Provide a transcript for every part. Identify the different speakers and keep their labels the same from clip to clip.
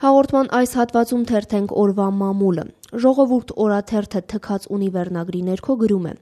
Speaker 1: Հաղորդման այս հատվածում թերթենք օրվա մամուլը։ Ժողովուրդ օրաթերթը թքած ունի վերնագրի ներքո գրում է.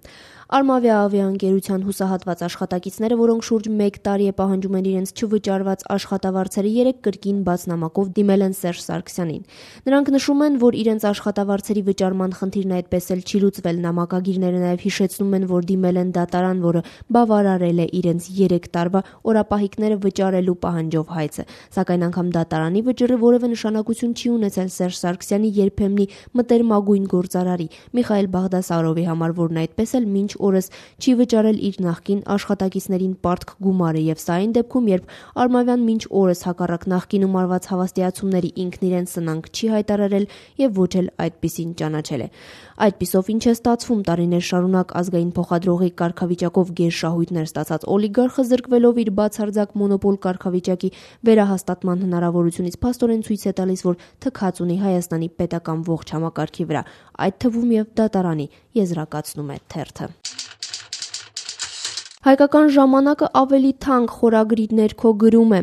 Speaker 1: Արմավիա ավիաընկերության հուսահատված աշխատակիցները, որոնք շուրջ 1 տարի է պահանջում են իրենց չվճարված աշխատավարձերը, 3 կրկին բաց նամակով դիմել են Սերժ Սարգսյանին։ Նրանք նշում են, որ իրենց աշխատավարձերի վճարման խնդիրն այդպես էլ չի լուծվել։ Նամակագիրները նաև հիշեցնում են, որ դիմել են դատարան, որը բավարարել է իրենց 3 տարվա օրապահիկները վճարելու պահանջով հայցը։ Սակայն անգամ դատարանի վճռը որևէ նշանակություն չի ունեցել Սերժ Սարգսյանի երբեմնի մտերմագույն գործարարի Միխայել Բաղդասարովի համար, որն այդպես էլ մինչ օրս չի վճարել իր նախկին աշխատակիցներին պարտք գումարը, եւ սա այն դեպքում, երբ Արմավյան մինչ օրս հակառակ նախկինում արված հավաստիացումների ինքն իրեն սնանկ չի հայտարարել եւ ոչ էլ այդպիսին ճանաչել է։ Այդպիսով ինչ է ստացվում, տարիներ շարունակ ազգային փոխադրողի կարգավիճակով գերշահույթներ ստացած օլիգարխը զրկվելով իր բացարձակ մոնոպոլ կարգավիճակի վերահաստատման հնարավորությունից փաստորեն ցույց է տալիս, որ թքած ունի Հայաստանի պետական ողջ համակարգի վրա, այդ թվում եւ դատարանի, եզրակացնում է թերթը։ Հայկական ժամանակը ավելի թանկ խորագրի ներքո գրում է.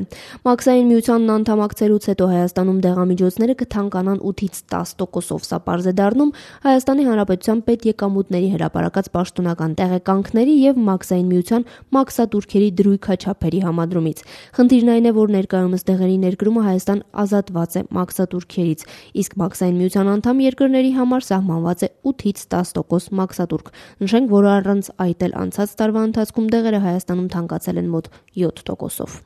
Speaker 1: Մաքսային միությանն անդամակցելուց հետո Հայաստանում դեղամիջոցները կթանկանան 8-ից 10%-ով, սա պարզ է դառնում Հայաստանի Հանրապետության պետեկամուտների հրապարակած պաշտոնական տեղեկանքների եւ Մաքսային միության մաքսատուրքերի դրույքաչափերի համադրումից։ Խնդիրն այն է, որ ներկայումս դեղերի ներկրումը Հայաստան ազատված է մաքսատուրքերից, իսկ Մաքսային միության անդամ երկրների համար սահմանված է 8-ից 10% մաքսատուրք։ Նշենք, որ առանց այդ էլ անցած տարվա ընթացքում դեղերը Հայաստանում թանկացել են մոտ 7%-ով։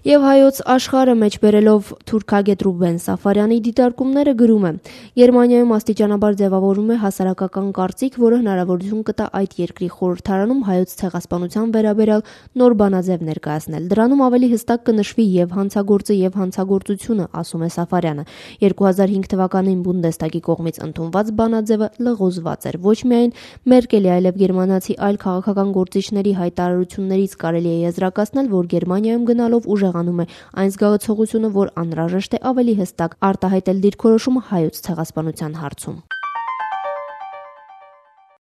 Speaker 1: Եվ հայոց աշխարհը մեջ բերելով թուրքագետ Ռուբեն Սաֆարյանի դիտարկումները գրում է. Գերմանիայում աստիճանաբար ձևավորվում է հասարակական կարծիք, որը հնարավորություն կտա այդ երկրի խորհրդարանում հայոց ցեղասպանության վերաբերյալ նոր բանաձև ներկայացնել։ Դրանում ավելի հստակ կնշվի եւ հանցագործը եւ հանցագործությունը, ասում է Սաֆարյանը։ 2005 թվականին Բունդեստագի կողմից ընդունված բանաձևը լղոզված էր։ Ոչ միայն Մերկելի, այլև գերմանացի այլ քաղաքական գործիչների հայտարարություններից կարելի է եզրակացնել, որ Գերմանիայում գնալով ուժեղանում է այն զգացողությունը, որ անհրաժեշտ է ավելի հստակ արտահայտել դիրքորոշումը հայոց ցեղասպանության հարցում։